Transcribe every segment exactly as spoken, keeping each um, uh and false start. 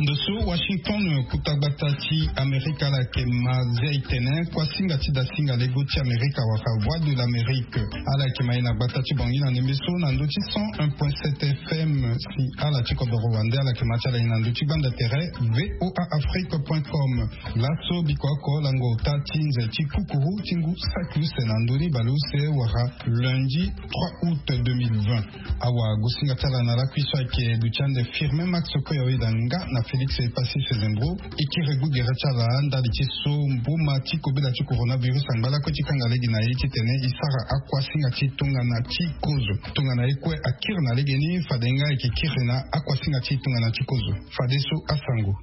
Ndo so Washington, kota gbata ti Amerika, ala yeke ma zia e tene kuâ singa ti dasinga lego ti Amerika wala Voix de l'Amérique. Ala yeke ma e na gbata ti Bangui na ndembe so na ndö ti cent un point sept F M. Si ala ti kodoro wande, ala yeke ma ti ala e na ndö ti gbanda tere V O A Afrique point com. Laso biko oko lango ota ti nze ti kukuru ti ngu saki use na ndö ni baleuse wala lundi trois août deux mille vingt. Awagosinga ti ala na lakui so ayeke duti ande Firmin Max Koya, oyeda nga na Félix Epassi Sezembro. E kiri gbu gere ti ala ndali ti so mboma ti kobela ti coronavirus angba lakue ti kanga lege na e titene e sara akuâ singa ti tongana ti kozo. Tongana e kue akiri na legeni, fade nga e yeke kiri na akuâ singa ti tongana ti kozo. Fadeso asango.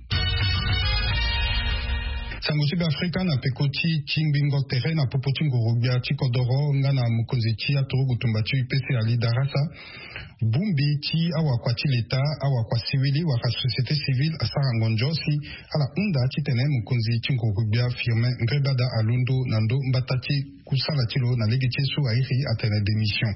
Sango ti Beafrika na peko ti tingbingo tere na popo ti nguru-gbia ti kodoro nga na mokonzi ti aturugu tumba ti U P C Ali Darasa. Bongbi ti awakua ti leta, awakua siwili wala société civile asara ngonzo si ala hunda titene mokonzi ti nguru-gbia Firmin Ngrébada alondo na ndö mbata ti kusala ti lo na lege ti ye so airi atene démission.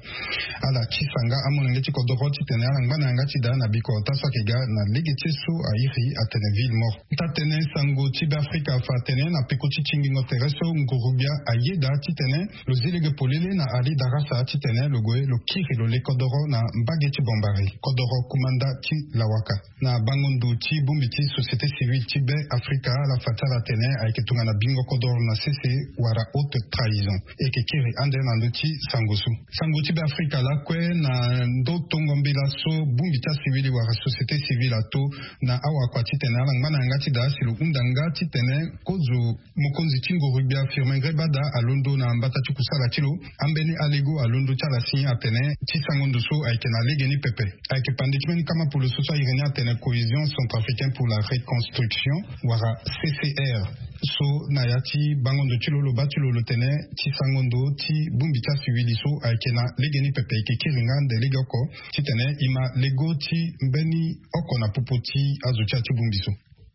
Ala tisa nga amolenge ti kodoro titene ala ngba na yanga ti daa na biko ota so ayeke ga na lege ti ye so airi atene ville morte. Taa-tënë sango ti Beafrika afa atene na peko ti tingbingo tere so nguru-gbia ayeda titene lo zi lege polele na Ali Darasa titene lo gue lo kiri lo le kodoro na mbage ti Bambari, kodoro kumanda ti Lawaka. Na bango ndo ti bongbi ti société civile ti Beafrika, ala fa ti ala atene ayeke tongana bingo kodoro na sese wala haute trahison. E yeke kiri ande na ndö ti sango so. Sango ti Beafrika lakue na ndö tongo mbela so bongbi ti asiwili wala société civile ato na awakua titene ala ngba na yanga ti daa si lo hunda nga titene kozo mokonzi ti nguru-gbia Firmin Ngrébada alondo na mbata ti kusala ti lo. Ambeni alego alondo ti ala si atene ti sango ndo so ayeke na legeni pepe. Ayeke pande ti mbeni kama polo so so airi ni atene Cohésion Centrafricaine pour la Reconstruction wala C C R. So na ya ti bango ndo ti lo, lo baa ti lo lo tene ti sango ndo ti bongbi ti asiwili so ayeke na legeni pepe, e yeke kiri nga ande legeoko titene e ma lego ti mbeni oko na popo ti azo ti ya ti bongbi so.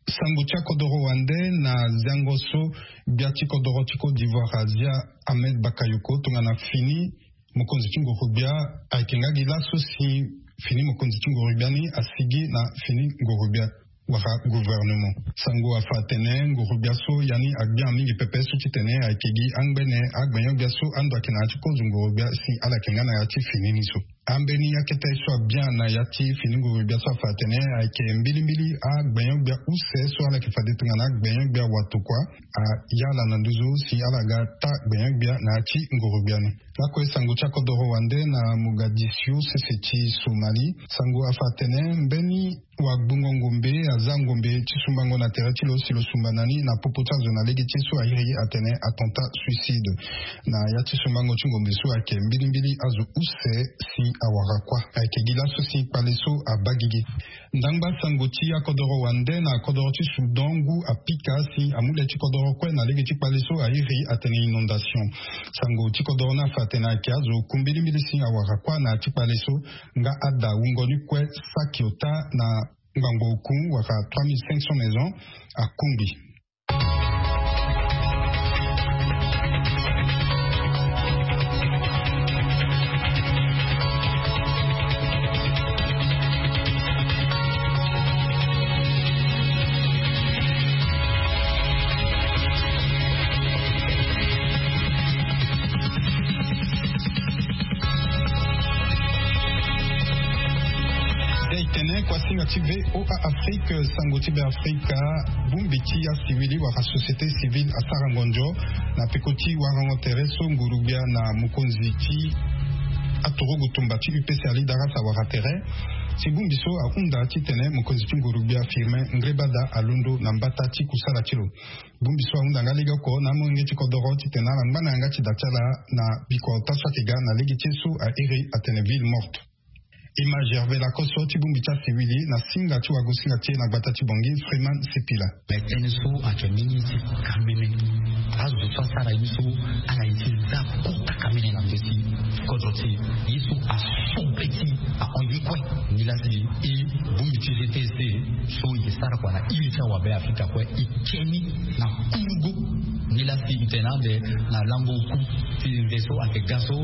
Sango ti akodoro wande na ziango so gbia ti kodoro ti Côte d'Ivoire azia Ahmed Bakayoko tongana fini mokonzi ti nguru-gbia. Ayeke nga gi laso si fini mokonzi ti nguru-gbia ni asigi na fini nguru-gbia wala gouvernement. Sango afa atene nguru-gbia so ya ni agbia mingi pepe so titene ayeke gi angbene agbenyo-gbia so ando ayeke na ya ti kozo nguru-gbia si ala yeke nga na ya ti fini ni so. Ambeni akete so abia na ya ti fini nguru-gbia so afa atene ayeke mbilimbili agbenyo-gbia use so ala yeke fade tongana agbenyo-gbia watokua, aya ala na nduzu si ala ga taa gbenyo-gbia na ya ti nguru-gbia ni. Lakue sango ti akodoro wande na Mogadiscio, sese ti Somalie. Sango afa atene mbeni wagbungo ngombe aza ngombe ti sumbango na tere ti lo si lo sumba na ni na popo ti azo na lege ti ye so airi atene attentat suicide. Na ya ti sumbango ti ngombe so ayeke mbilimbili azo use si awara kuâ. Ayeke gi laso si kpale so abaa gigi. Ndangba sango ti akodoro wande na kodoro ti Soudan, ngu apika si amu le ti kodoro kue na lege ti kpale so airi atene inondation. Sango ti kodoro ni afa atene ayeke azo oku mbilimbili si awara kuâ na ya ti kpale so, nga ada wungo ni kue saki ota na ngbangbo oku wala trois mille cinq cents maisons akungbi. Zia e tene kuâ singa ti V O A Afrique, sango ti Beafrika. Bongbi ti asiwili wala société civile asara ngonzo na peko ti warango tere so nguru-gbia na mokonzi ti aturugu tumba ti U P C Ali Darasa awara tere si bongbi so ahunda titene mokonzi ti nguru-gbia Firmin Ngrébada alondo na mbata ti kusala ti lo. Bongbi so ahunda nga legeoko na amolenge ti kodoro titene ala ngba na yanga ti da ti ala na biko ota so ayeke ga na lege ti ye so airi atene ville morte. Image Hervé Lacoste ti bongbi ti asiwili na singa ti wagosinga ti e na gbata ti Bangui, Freeman Sipila. Mais tënë so ayeke mbeni ye ti kamene. Azo so asara ye so ala ye ti za kota kamene na ndö ti kodro ti e. Ye so asobe ti ahon ye kue. Nilaa si e bongbi ti G T S so e sara kua na iri ti awabe Afrika kue e ke ni na kungo. Nilaa si e tene ande na lango oku. Ti nze so ayeke ga so,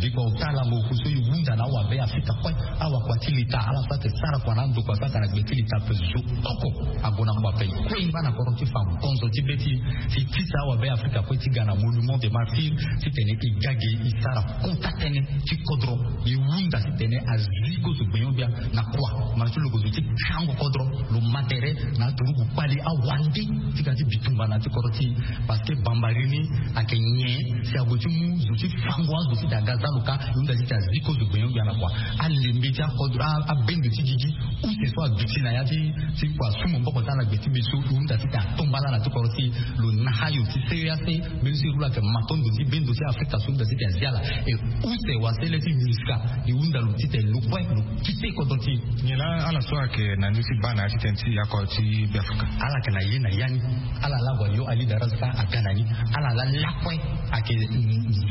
biko ota lango oku so e hunda na awabe afrika kue. Awakua ti leta ala so ayeke sara kua na andokua so ayeke na gbe ti leta ape zo oko. Ague na kua ape e kue e ngba na kodro ti fa ngonzo ti be ti e ti tisa awabe afrika kue ti ga na monument de martyrs titene e ga ge e sara kota tënë ti kodro. E hunda titene azi kozo gbenyo-gbia na kua. Mara ti lo kozo ti kango kodro lo ma tere na aturugu kpali awande ti ga ti bitumba na ti kodro ti e. Parce que bambari ni ayeke nyen si ague ti mu zo ti fango azo ti ta ga za lo ka. E hunda ti ta zi kozo gbenyo-gbia na kua. Alembe ti akodro abendo ti gigi use so aduti na ya ti ti kua su maboko ti ala gbe ti be so e hunda ti ta tomba ala na ti kodro ti e. Lo na hayo ti seyo ya se mbeni so e rula ayeke matondo ti bendo ti afrika so e hunda ti ta zi ala. E use wasele ti minska e hunda lo ti ta lo kue lo kite kodro ti e. Nyen laa ala so ayeke na ndö ti baa na ya ti tënë ti akua ti beafrika? Ala yeke na ye na ya ni. Ala laa ague ayo ali dara so ka aga na ni. Ala laa lakue ayeke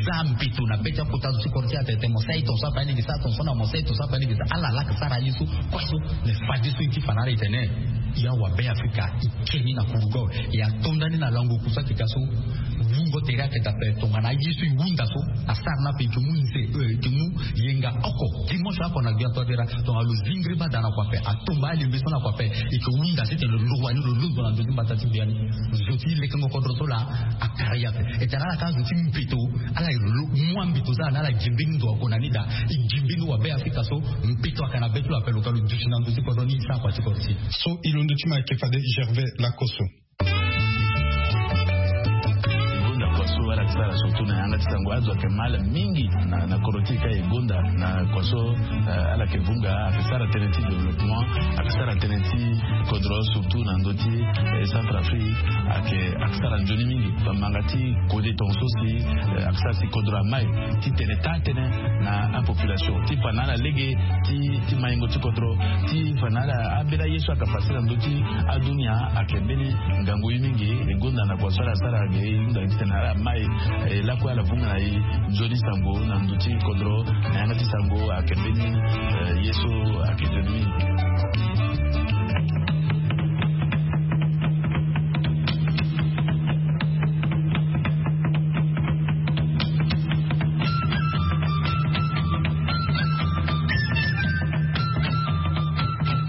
za mbeto na be ti akota zo ti kodro ti e atene mo sara ye tongaso ape alege sara tongaso na mo sara ye tongaso ape alege sara ala laa ayeke sara ye so kue so. Me fadeso e ti fa na ala e tene e awabe afrika e ke ni na kurugo e atonda ni na lango oku so ayeke ga so. Wungo tere ayeke dape tongana aye so e hunda so asara ni ape e ke mu nze e ke mu yenga oko dimanche oko na gbia toadera. Tongana lo zingiri bada na kua ape atomba alembe so na kua ape e ke hunda titene lo lo wani lo londo na ndö ti mbata ti gbia ni. Zo ti lekengo kodro so laa akara ye ape. E tene ala ka zo ti mbeto ala lo mu ambito so ala na ala gi mbeni ndo ako na ni daa. E gi mbeni wabe afrika so mbeto ayeke na be ti lo ape lo ka lo duti na ndö ti kodro ni e sara kua ti kodro ti e. So e londo ti mo ayeke fade gervais lakoso. E gonda kua so ala yeke sara surtout na yanga ti sango azo ayeke mal mingi na koro ti e ka e gonda na kua so ala yeke vunga ayeke sara tënë ti développement ayeke sara tënë ti kodro surtout na ndö ti centre afrique. Ayeke ayeke sara nzoni mingi bamanga ti kode tongaso si ayeke sara si kodro amai ti tene taa tënë na apopulation ti fa na ala lege ti maingo ti kodro ti fa na ala ambeni aye so ayeke pase na ndö ti adunia. Ayeke mbeni ngangu ye mingi e gonda na kua so ala sara ge e hunda titene ala mai e lakue ala vunga na e nzoni sango na ndö ti kodro na yanga ti sango ayeke mbeni ye so ayeke nzoni mingi.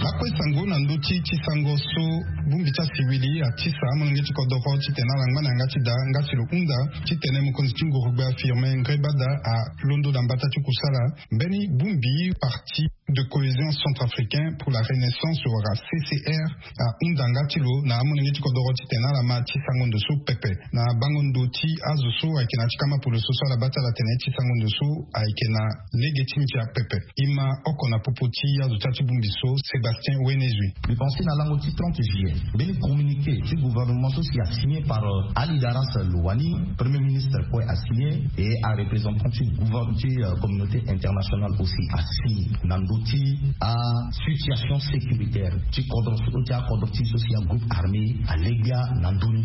Lakue sango na ndö ti ti sango so bongbi ti asiwili atisa amolenge ti kodoro titene ala ngba na yanga ti daa nga si lo hunda titene mokonzi ti ngurugbe afirme ngrebada alondo na mbata ti kusala mbeni bongbi parti de cohésion centrafricain pour la renaissance wala ccr ahunda nga ti lo na amolenge ti kodoro titene ala ma ti sango ndo so pepe. Na bango ndo ti azo so ayeke na ti kama polo so so ala baa ti ala tene ti sango ndo so ayeke na lege ti ndia pepe. E ma oko na popo ti azo ti ya ti bongbi so sébastien wenezui. Mbi pense na lango ti trente juillet mbeni communiqué ti gouvernement so si asigne par ali daras lowani premier ministre kue asigne et areprésentant ti communauté internationale aussi asigne na ndö ti asituation sécuritaire ti kodro so ti akodro ti so si agroupe armé alegbia na ndö ni.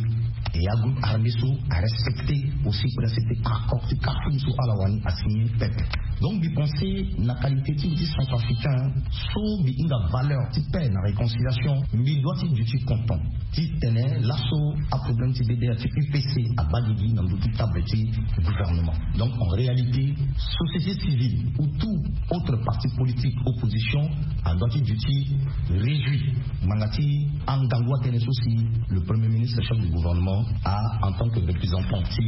Et agroupe armé so arespecté aussi précepté accord ti kartum so ala wani asigne pepe. Donc mbi pense na qualité ti mbi ti centrafricain so mbi hinga valeur ti paix na réconciliation mbi doit ti duti content ti tene laso aproblème ti bdr ti upc abaa gigi na ndö ti table ti gouvernement. Donc en réalité société civile ou tout autre parti politique opposition adoit ti duti réduit ngbanga ti angangu atënë so si le premier ministre chef du gouvernement a en tant que représentant ti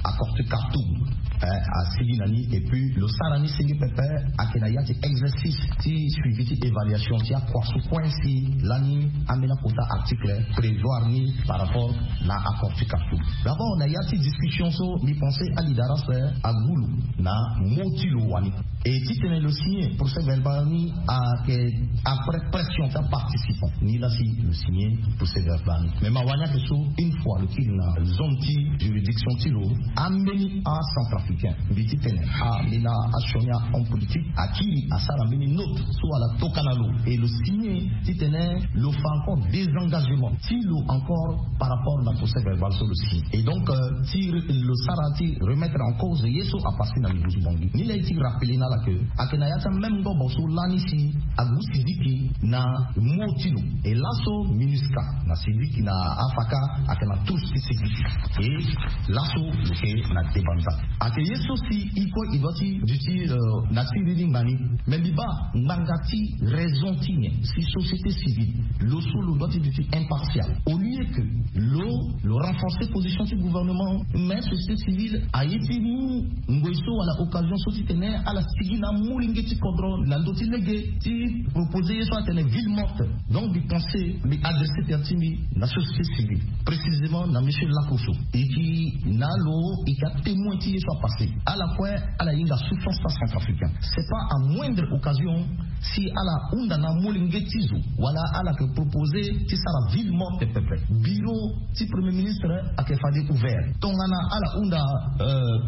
accord ti kartum asigi na ni et puis lo sara ni sigi pepe. Ayeke na ya ti exercice ti suivi ti évaluation ti akua so kue si lani ambeni akota article prévoir ni par rapport na accord ti kartum. D'abord na ya ti discussion so mbi pense ali daras agulu na mo ti lo wani. Et titene lo signe procès verbal ni ayeke après pression ti aparticipant ni laa si lo signe procès verbal ni. Mais ma wani ayeke so une fois lo kiri na zone ti juridiction ti lo ambeni acentrafricain mbi titene ambeni asioni ahomme politique akiri asara mbeni note so ala tokana lo et lo signe titene lo fa encore désengagement ti lo encore par rapport na procès verbal so lo signe. Et donc ti lo sara ti remettre en cause ye so apasser na nduzu bangi ni laa ye ti rappeler na Ake na ya ti ameme ngobo so lani si agu sidiki na mo ti lo. E laso minusca na sidiki na afaka ake na tous ti sidiki. E laso lo ke na debanza ake ye so si iko idua ti duti na ti riri ngani. Me mbi baa ngbanga ti raison ti nyen si société civile lo so lo dua ti duti impartial au lieu que lo lo renforcer position ti gouvernement. Mais société civile aye ti mu ngoi so wala occasion so ti tene ala sigi na molenge ti kodro na ndö ti lege ti proposer ye so atene ville morte. Donc mbi pense mbi adresser tere ti mbi na société civile, précisément na monsieur Lakoso e ki na lo e ka témoin ti ye so apasser. Ala kue ala hinga souffrance ti acentrafricain. C'est pas à moindre occasion si ala hunda na molenge ti zo wala ala ke proposer ti sara ville morte pepe. Bureau ti premier ministre ake fade ouvert tongana ala hunda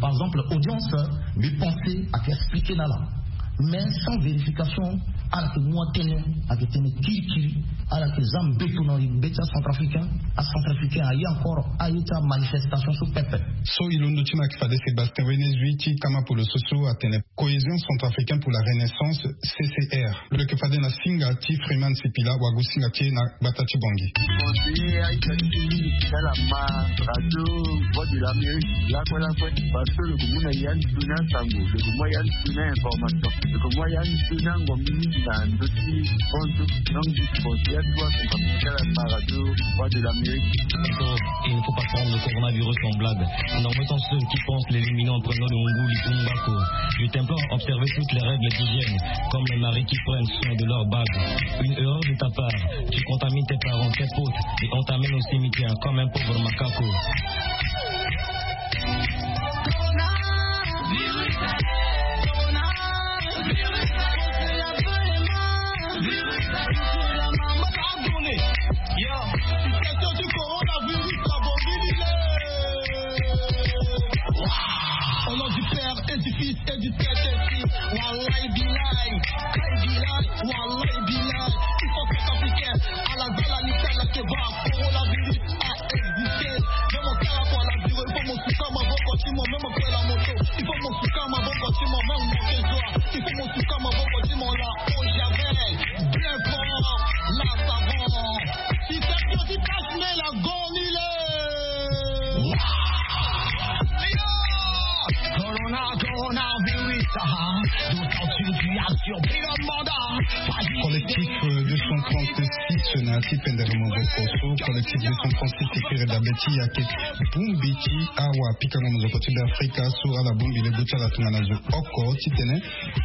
par exemple audience. Mbi pense ake expliquer na ala mais sans vérification. Ala ke mu atene ake tene kirikiri. Ala ke za mbeto na mbe ti acentrafricain. Acentrafricain aye encore aye ti amanifestation so pepe. So e londo ti ma ake fade Sébastien Wenezui ti kama polo so so atene cohésion centrafricaine pour la renaissance, C C R. Lo yeke fade na singa ti Freeman Sipila wagu singa ti e na gbata ti Bangui. Conseiller aita ti mingi ti ala ma radio Voix de l'Amérique lakue lakue. Parce que lo ke mu na ya ni tuni asango, lo ke mu ya ni tuni information, lo ke mu ya ni tuni angombi mingi na ndö ti bonzo. Donc je conseille à toi de ma radio Voix de l'Amérique. Il ne faut pas prendre le coronavirus en blague. Non, mettant ceux qui pensent l'éliminer en prenant le Munguli Umbako. Je t'implore, observez toutes les règles d'hygiène, comme les maris qui prennent soin de leur bague. Une erreur de ta part, tu contamines tes parents, tes potes, et on t'amène au cimetière comme un pauvre macaco. Yo, situation du coronavirus, la bobine, il est. Au nom du Père et du Fils et du Saint-Esprit. Wallahi billahi, billahi, wallahi billahi. Il faut que t'appliques à la zala, l'Italie, que va, coronavirus a existé. Même au cas où la durée, il faut mon soutien, ma bonne continue, même au cas la moto. Il faut mon soutien, ma bonne continue, même mon soutien. Il faut mon soutien, ma bonne continue, là, au javel. Bien fort, là, ça va. Si ça, si ça, mais la gonile. Corona, coronavirus, ah, d'autant que tu as surpris le monde. Collectif deux cent trente-six na ya ti pendere mozoko so collectif deux cent trente-six e kiri dabe ti yake bongbi ti awa pikango mozoko ti Beafrika so ala bongbi lego ti ala tongana zo oko titene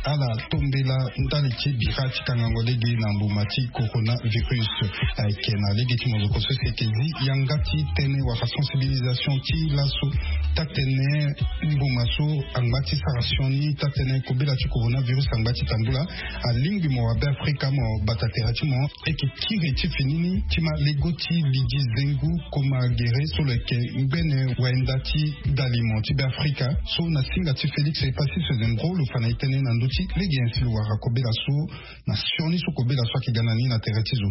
ala tombela ndali ti bira ti kangango lege na mbuma ti coronavirus. Ayeke na lege ti mozoko so si eke zi yanga ti tënë wala sensibilisation ti laso tatene mbuma so angba ti sara sioni tatene kobela ti coronavirus angba ti tambula. Alingbi mo wa Beafrika mo bata tere ti mo. Eke kiri ti fini ni ti ma lego ti lidi zengu koma gere so lo yeke ngbene wenda ti dalimo ti Beafrika so na singa ti Félix Epassi Sezendro lo fa na e tënë na ndö ti lege nyen si lo wara kobela so na sioni so kobela so ayeke ga na ni na tere ti zo.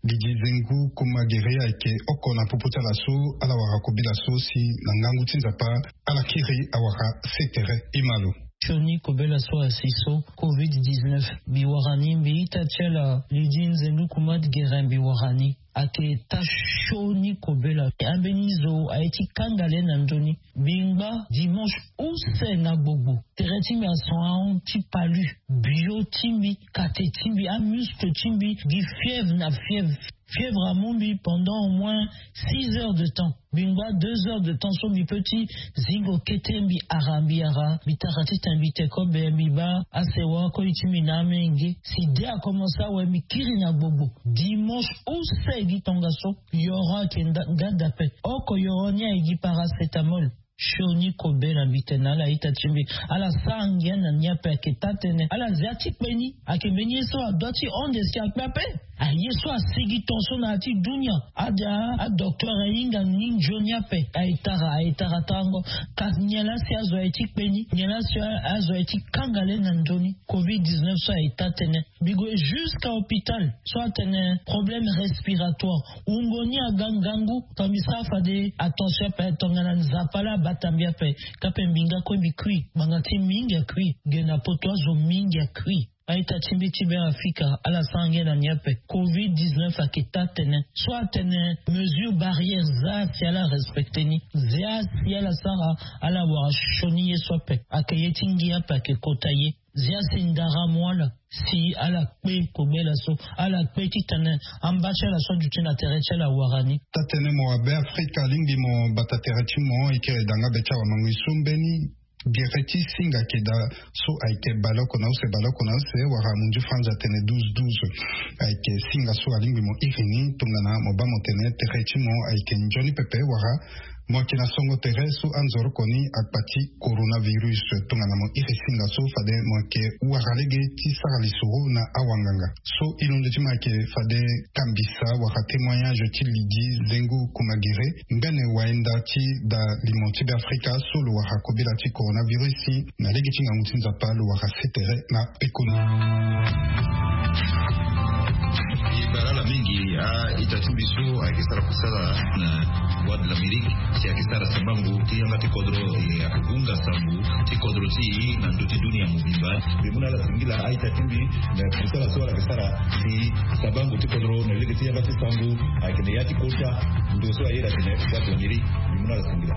Lidi zengu koma gere ayeke oko na popo ti ala so ala wara kobela so si na ngangu ti Nzapa ala kiri awara se tere. E ma lo. Sioni kobela so asi so covid dix-neuf mbi wara ni mbi ita ti ala lidi nzengu koma gere mbi wara ni. Ayeke ta sioni kobela ambeni zo aye ti kanga le na ndö ni. Mbi ngba dimanche use na gbogbo tere ti mbi ason ahon ti palu bio ti mbi kate ti mbi amuscle ti mbi gi fièvre na fièvre. Fièvre amu mbi pendant au moins six heures de temps. Mbi ngba deux heures de temps so mbi peut ti zingo kete mbi ara mbi ara mbi tara titene mbi te kobe mbi baa asewa koli ti mbi na amenge si de akomense awe mbi kiri na gbogbo. Dimanche use gi tongaso yoro ayeke nga dape oko yoro ni aye gi paracétamol. Sioni kobela mbi tene na ala ita ti mbi ala sara ngia na ni ape ayeke taa tënë ala zia ti kpe ni. Ayeke mbeni ye so adua ti honde si akpe ape. Aye so asigi tongaso na ya ti dunia. Ada adocteur ahinga ni nzoni ape aye tara aye tara tango. Kasi nyen laa si azo aye ti kpe ni nyen laa si azo aye ti kanga le na nzoni covid dix-neuf so aye taa tënë. Mbi gue jusqu'à hôpital so atene problème respiratoire wungo ni aga ngangu. Tongana mbi sara fade attention ape tongana nzapa laa. Atambia pe kape mbinga kue mbi kui, banga ti mingi akui, gena poto azo mingi akui. Aita ti mbi ti be afrika ala sara nge na nia pe covid 19 ake ta tene so atene mesure barrière za si ala respecte ni. Zia si ala sara, ala wara shoni ye so ape ake ye ti ngi ape ake kota ye. Zia si ndara mo ala si ala kpe kobela so ala kpe ti tene amba ti ala so aduti na tere ti ala wara ni. Tatene mo abe afrika alingbi mo bata tere ti mo eke danga be ti awa mangui so mbeni gere ti singa keda so ayeke baloko na use baloko na use wala munzu franza atene douze douze. Ayeke singa so alingbi mo iri ni tongana mo baa mo tene tere ti mo ayeke nzoni pepe wala mo yeke na songo tere so anzoroko ni akpa ti coronavirus. Tongana mo iri singa so fade mo yeke wara lege ti sara lisoro na awanganga. So ilondo ti mo ayeke fade kambisa wala témoignage ti lidi zengo kuma gere. Mbene wayenda ti da limo ti be afrika so lo wara kobela ti coronavirus na lege ti ngangu ti nzapa lo wara se tere na pekoni. E bara ala mingi a-ita ti mbi so ayeke sara kusala na Voix de l'Amérique si ayeke sara sambango ti yanga ti kodro. E ake hunga sambu ti kodro ti e na ndö ti dunia mobimba. Mbi mu na ala singila a-ita ti mbi na kusala so ala yeke sara si sambango ti kodro na lege ti yanga ti sambu. Ayeke na ya ti kota ndo so aye na tene Voix de l'Amérique. Mbi mu na ala singila.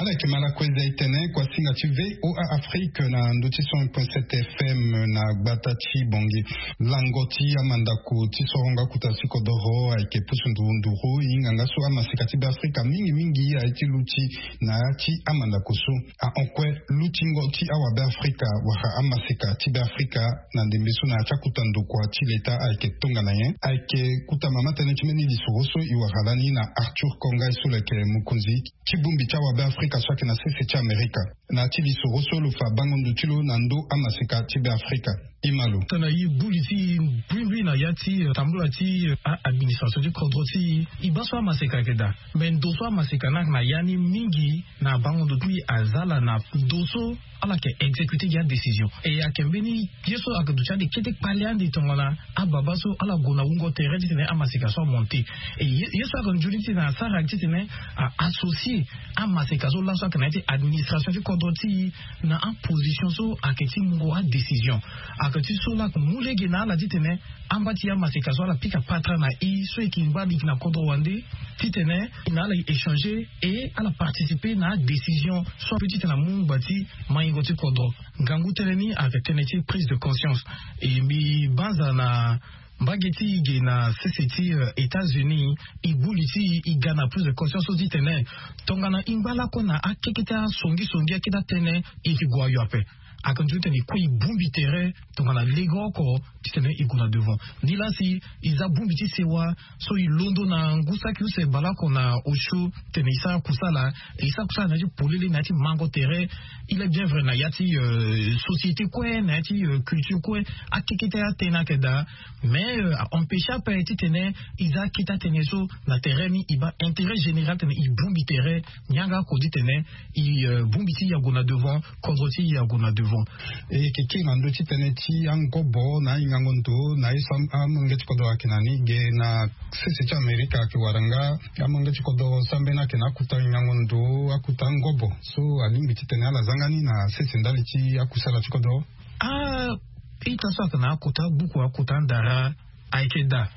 Ala yeke ma lakue za e tene kua singa ti VOA Afrique na ndö ti cent point sept FM na gbata ti Bangui. Lango ti amandako ti soronga kota ti kodoro ayeke pusu nduru nduru. E hinga nga so amaseka ti be afrika mingi mingi aye ti luti na ya ti amandako so. Ahon kue lutingo ti awabe afrika wala amaseka ti be afrika na ndembe so na ya ti akuta ndokua ti leta ayeke tongana nyen? Ayeke kuta mama tënë ti mbeni lisoro so e wara lani na Arthur Kongai so lo yeke mokonzi ti bongbi ti awabe afrika so ayeke na sese ti Amerika. Na ya ti lisoro so lo fa bango ndo ti lo na ndö amaseka ti be afrika. E ma lo. Tongana e gbu li ti e mbrimbri na ya ti, eh, tambula ti, eh, a-administration ti kodro ti e, e baa so amaseka ayeke daa. Me ndo so amaseka ni ayeke na ya ni mingi na bango ndo ti e aza ala na ndo so ala yeke exécuter gi adécision. E ayeke mbeni ye so ayeke duti ande kete kpale ande tongana ababa so ala gue na wungo tere titene amaseka so amonte. E ye, ye so ayeke nzoni titene asara ayeke titene a-associer amaseka so laso ayeke na ya ti administration ti kodro ti e na aposition so ayeke ti mungo adécision. Ayeke ti so laa ayeke mu lege na ala titene amba ti amaseka so ala pika patara na e so e yeke ngba liki na kodro wande titene e na ala e échanger e ala participer na adécision so ape titene amu ngba ti maingo ti kodro. Ngangu tënë ni ayeke tënë ti prise de conscience. E mbi banza na mbage ti e ge na sese ti, eh, États-Unis, e gbu li ti e, e ga na prise de conscience so titene tongana e ngba lakue na akeke ti asongisongi akete atënë, e yeke gue ayo ape. Ayeke nzoni titene e kue e bongbi tere tongana lege oko titene e gue na devant. Nilaa si e za bongbi ti sewa so e londo na ngu saki use baleoko na osio titene e sara kusala, e sara kusala na ya ti polele na ya ti mango tere. Il est bien vrai na ya ti, euh, société kue, na ya ti, euh, culture kue, akeke ti atënë ayeke daa. Mais, euh, a empêcher ape titene e za akete atënë so na tere ni, e baa intérêt général titene e bongbi tere. Ni yanga oko titene e, euh, bongbi ti e ague na devant, kodro ti e ague na devant. E yeke kiri na ndö ti tënë ti angobo na ahingango ndo na ye so am-, amolenge ti kodro ayeke na ni ge na sese ti Amerika ayeke wara nga amolenge ti kodro so ambeni ayeke na akuta hingango ndo, akuta angobo so alingbi titene ala zanga ni na sese ndali ti akusala ti kodro. A-ita so ayeke na akuta gbuku, akuta andara, ayeke daa.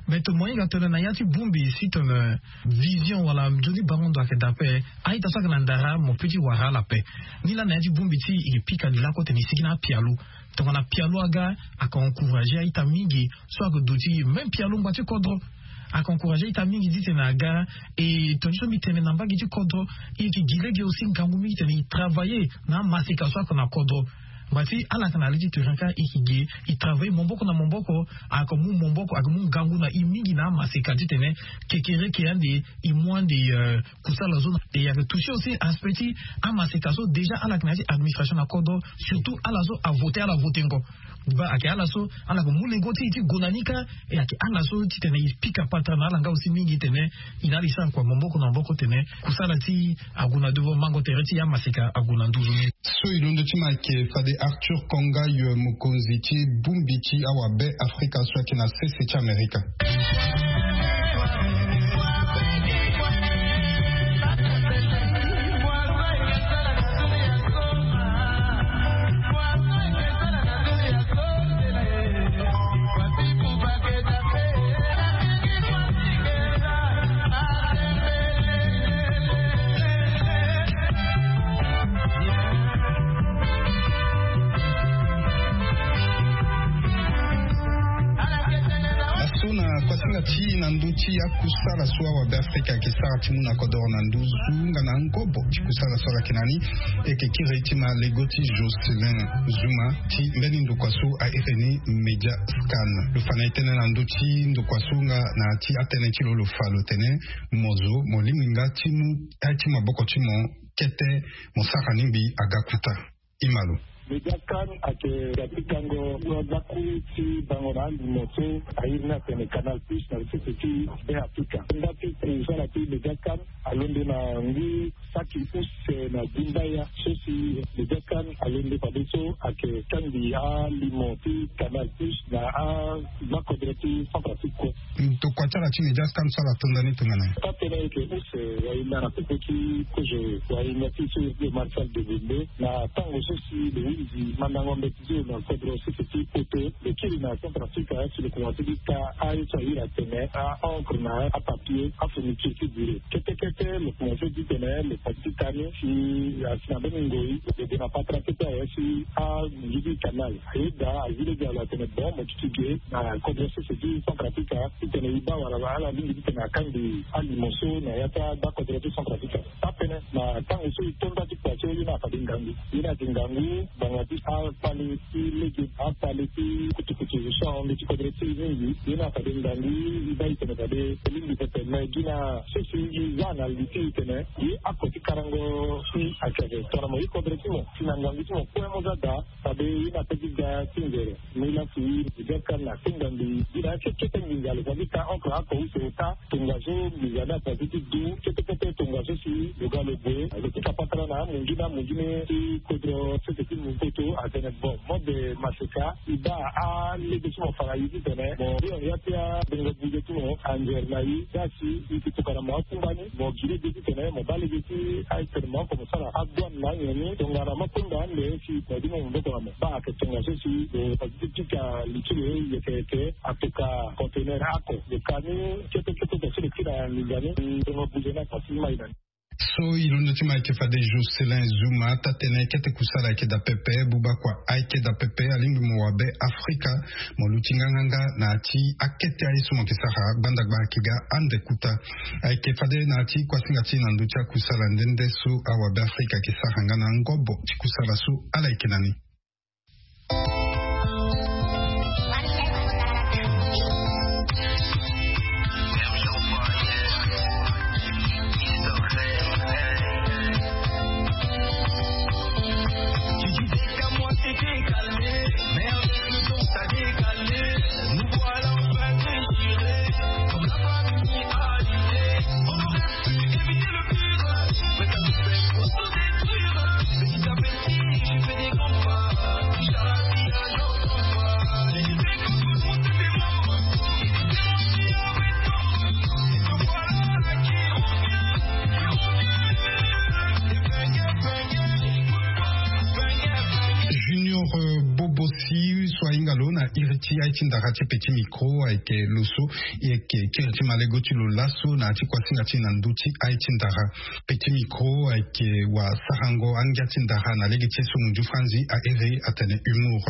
Me tongana mo hinga tongana na ya ti bongbi si tongana vision wala nzoni bango ndo ayeke daa ape, a-ita so ayeke na ndara mo peut ti wara ala ape. Nilaa na ya ti bongbi ti e, e yeke pika li lakue titene e sigi na apialo. Tongana pialo aga, ayeke encourager a-ita mingi so ayeke duti même pialo ngba ti kodro. Ayeke encourager a-ita mingi titene aga. E tongana so mbi tene na mbage ti kodro, e yeke gi lege aussi ngangu mingi titene e travailler na amaseka so ayeke na kodro. Ngba ti ala ayeke na le ti tere kâ, e yeke gi e travailler maboko na maboko. Ayeke mu maboko, ayeke mu ngangu na e mingi na amaseka titene kekereke ande e mu ande, euh, kusala so. E ayeke toucher aussi aspect ti amaseka so déjà ala yeke na ya ti administration na kodro, surtout ala so avoter, ala votengo. Ba ayeke ala so ala yeke mu lengo ti e ti gue na ni kâ. E ayeke ala so titene e pika patara na ala nga aussi mingi titene e na ala e sara kua maboko na maboko titene kusala ti e ague na devant, mango tere ti e amaseka ague na nduzu ni. So e londo ti ma ayeke fade Arthur Konga, yo mokonzi ti bongbi ti awabe Afrika so ayeke na sese ti Amerika. Laso na kuasinga ti na ndö ti akusala so awabe Afrika ayeke sara ti mu na kodoro na nduzu nga na ngobo ti kusala so ala yeke na ni. E yeke kiri ti ma lego ti Jocelyn Zuma ti mbeni ndokua so a iri ni Media Scan. Lo fa na e tënë na ndö ti ndokua so nga na ya ti atënë ti lo, lo fa lo tene mo zo mo lingbi nga ti mu aye ti maboko ti mo kete mo sara lingbi aga kuta. Imalo. Media Scan ayeke ga ti kango so alaku ti bango na alimo so a iri ni atene Canal Plus na sese ti Be Afrika. Nda ti kusala ti Media Scan alondo na ngu saki use na gumbaya so si Media Scan alondo fade so ayeke kangbi alimo ti Canal Plus na agbakodro ti Centrafrique kue. Tokua ti ala ti Media Scan so ala tonda ni tongana nyen? Taa-tënë ayeke use wayinda na popo ti kozo wayinda ti so iri ti Marcel Degonde na tango so si lo hunzi mandango mbeti ti lo na kodro sese ti poto, lo kiri na Centrafrique si lo komanse ti ka aye so a iri atene a-encre na apapier, afourniture ti bureau. Kete kete lo komanse ti tene lo fa ti ka ni si asi na mbeni ngoi lo gue na patara kete awe si amunzu ti canal. Ayeda azi lege na lo atene bon mo duti ge na kodro sese ti Centrafrique titene e baa wala ala lingbi titene akangbi alimo so na ya ti agbakodro ti Centrafrique. Taa-tënë na tango so e to nda ti kua so ye ni afade ngangu. Ye ni ayeke ngangu ngbanga ti akpale ti lege, akpale ti kutukutu so ahon ndö ti kodro ti e mingi. Ye ni afade ngangu e baa e tene fade e lingbi pepe me gi na so si e za na li ti e tene ye ako ti karango si ayeke tongana mo ye kodro ti mo si na ngangu ti mo kue mo za daa. Fade ye ni ape ti ga ti nzere. Mbi lafu e ga ka na tenga mbi gi na akekete nginza lo fa ti ka encre oko use ota. Tongaso nginza ni afa ti du kete kete tongaso si lo ga lo gue lo pika patara na amunzu na amunzu ni ti kodro sese ti mu poto atene bon mode maseka e baa alege ti mo fa na e titene mo ri ya ti abongo buze ti mo anzere na e. Ga si e yeke tokana mo akumba ni mo gi lege titene mo baa lege ti aye titene mo oko mo sara adouane na anyen ni tongana mo akunda ande si mo gi mo maboko na mo. Baa ayeke tongaso si lo fa ti ti pika li ti lo yeke yeke atoka conteneur ako lo ka ni kete kete tongaso lo kiri na nginza ni. Tonga buze ni afa ti mai na ni. So e londo ti ma ayeke fade Jocelyn Zuma taa-tënë kete kusala ayeke daa pepe buba kua ayeke daa pepe alingbi mo wabe Afrika mo luti nganganga na ya ti akete aye so mo yeke sara gbandagba ayeke ga ande kuta. Ayeke fade na ya ti kuasinga ti na ndö ti akusala nde nde so awabe Afrika ayeke sara nga na ngobo ti kusala so ala yeke na ni. Junior, euh, Bobosi so ahinga lo na iri ti aye ti ndara ti Petit Micro ayeke lo so e yeke kiri ti malego ti lo laso na ya ti kuasinga ti na ndö ti aye ti ndara. Petit Micro ayeke wasarango angia ti ndara na lege ti ye so munzu franzi a iri atene humour.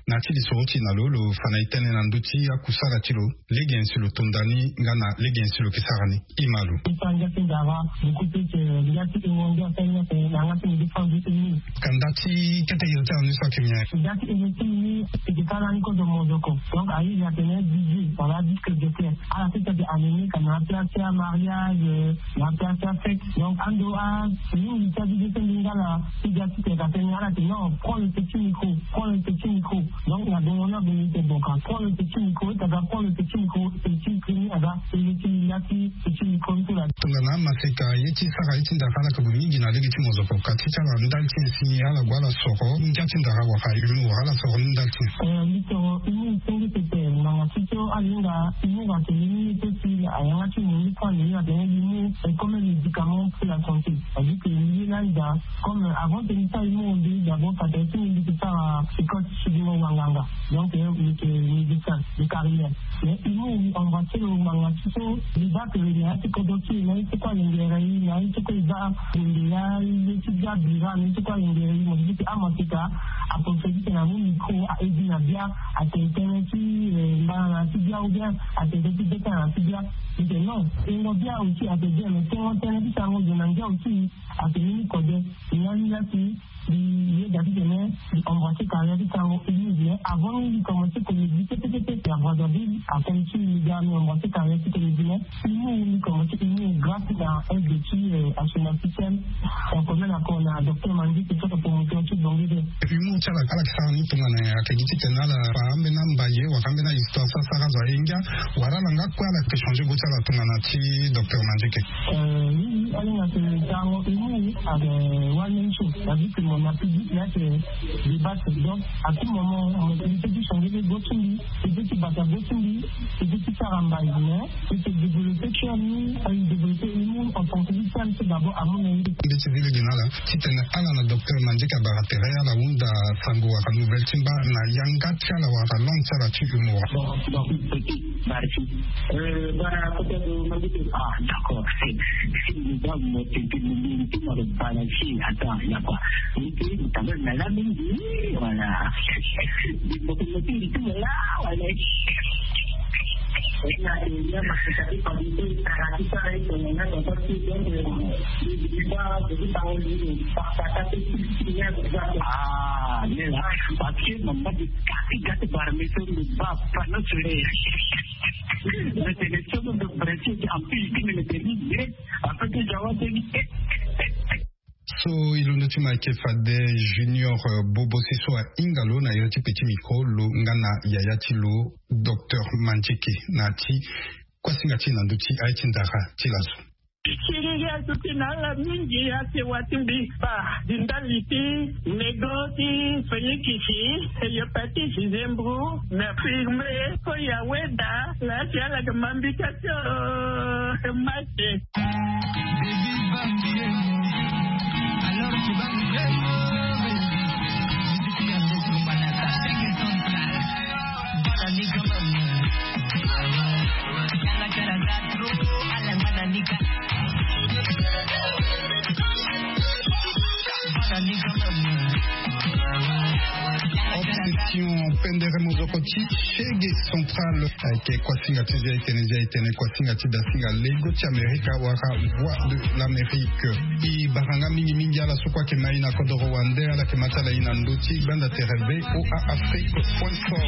Na ya ti lisoro ti na lo lo fa na e tënë na ndö ti akusala ti lo. Lege nyen si lo tonda ni nga na lege nyen si lo yeke sara ni? Imalo. Ti fa ngia ti ndara, du coup ti yeke ngia ti hingo ngia ti ngia ti na yanga ti munzu franzi ti ni. Ka nda ti kete iri ti anu so ayeke nyen? Ngia ti iri ti ni. Ti yeke sara ni kozo mozoko. Donc a iri atene D J wala disque jockey. Ala ti ti yeke animé ka na place ti amariage, na place ti afête. Donc ando a mingi ti adudu ti lingala ti ga ti tene ka tene ala ti non, prends le petit micro, prends le petit micro. Donc na bongo na bongo te, donc a prend le petit micro, ita ga prend le petit micro, petit micro ni aga, e le ti la ti petit micro ni ti la. Tongana amaseka ye ti sara ye ti ndara ala ka gue mingi na lege ti mozoko, ka ti ti ala ndali ti nyen si ala gue ala soro ngia ti ndara wala humour, ala soro ni ndali ti nyen? Eh, mbi soro humour senge pepe, ngbanga ti so ala hinga humour atene ni ti si ayanga ti mo ni kue ande ni atene humour est comme un médicament pour la santé. C'est-à-dire que mbi ye lani daa, comme, euh, avant que mbi sara humour, mbi d'abord, ça fait six mille que ça, euh, école suivant wanganga. Donc, euh, mbi yeke médecin de carrière. Mais humour, mbi embrasser lo ngbanga ti so, mbi baa que na ya ti kodro ti e, na ya ti kue alingere e, na ya ti kue e baa bende ya, ye ti bia bira, na ya ti kue alingere e, mo di que amaseka, aprofitere ti tene amu micro, a-edi na bia, atene tënë ti, euh, mbana na ya ti bia, ou bien atene tënë ti beta na ya ti bia. Mbi tene non, tengo bia aussi, atene bien, mais tengo tënë ti sango zo na ngia aussi. Atene ni kode, ni lani la si mbi yeda titene mbi embrasser carrière ti sango humour, mais avant ni mbi commencer comédie pepe pepe à Brazzaville, atene ti mbi ga mbi embrasser carrière ti comédie, mais humour mbi commencer humour grâce na aide ti, euh, Assoumani Système, donc même encore na docteur Mandieke ti promoteur ti Bongué deux. Humour ti ala, ala yeke sara ni tongana nyen? Ayeke gi titene ala fa ambeni ambaye wala ambeni ahistoire so asara azo aye ngia, wala ala nga kue ala yeke changer go ti ala tongana ti docteur Mandieke? Euh, oui, oui, ala hinga tene sango humour, euh, one man show. C'est-à-dire que mo na public la, c'est débat. Donc, à tout moment, mo peut ti changer go ti mbi, peut ti bata go ti mbi, peut ti sara mbazi, mais e yeke développer cœur ni, e développer humour en tant que femme, c'est d'abord amu na ye. Mbi ti zi lege na ala titene ala na docteur Mandieke abara tere ala hunda sango wala nouvelle ti mba na yanga ti ala wala langue ti ala ti humour. Bon, bon, petit, merci. Euh, voilà, peut-être, euh, Mandieke. Ah, d'accord. Si, si, nous avons, euh, tete mo mbi ti mo lo bana si, attends, il y a quoi? Mbi ti mo tanga na la mingi, voilà. Mbi ti mo ti mo la, voilà. Ah, nela, parce que mama di kati kati bara mi so mi ba pano sore. Mais c'est le seul de principe en plus qui me le dit, mais en fait, je vois que So, e londo ti ma ayeke fade Junior, euh, Bobo si so ahinga lo na iri ti petit micro, lo nga na yaya ti lo, docteur Mandieke, na ya ti kuasinga ti e na ndö ti aye ti ndara ti laso. Siriri azo ti na ala mingi, asewa ti mbi ba di ndali ti nego ti fenikisi, hepatite, zembro, na firme, so ya weda, la ti ala ga mambi ka ti, oh, mate. Alors tu vas me faire mauvais. Obsession, pendere mozoko ti Chegue Central. Ayeke kuasinga ti zia etene, zia etene, kuasinga ti dasinga lego ti Amerika wala Voix de l'Amérique. E bara nga mingi mingi ala so kue ayeke ma e na kodoro wande, ala yeke ma ti ala e na ndö ti gbanda tere V O A Afrique point com.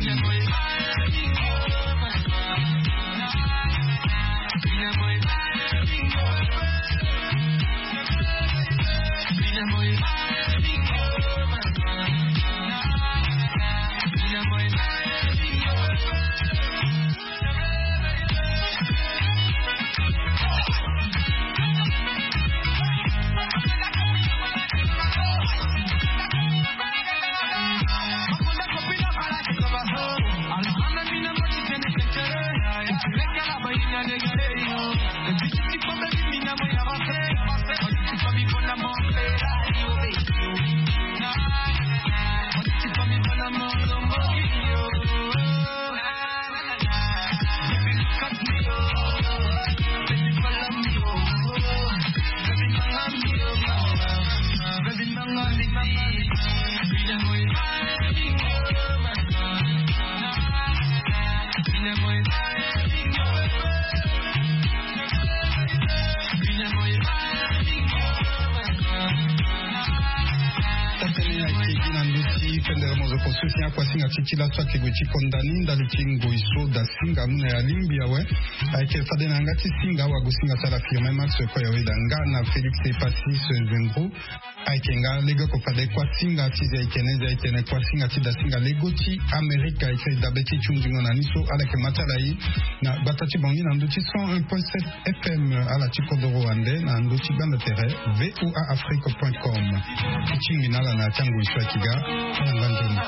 Oso si akuasinga ti ti laso ayeke gue ti konda ni ndali ti ngoi so da singa mu na ya lingbi awe. Ayeke fade na yanga ti singa awagosinga ti ala Firmin Max, kue awe da nga na Félix Epasis Zembro. Ayeke nga lege oko fade kuasinga ti Zaitene, Zaitene kuasinga ti dasinga lego ti Amerika. Ayeke dabe ti ti hunzingo na ni so ala yeke ma ti ala ye na gbata ti Bangui na ndö ti cent un point sept F M, ala ti kodoro wande na ndö ti gbanda tere V O A Afrique point com. Ti tingbi na ala na ti angoi so ayeke ga. Ala nga nzoni.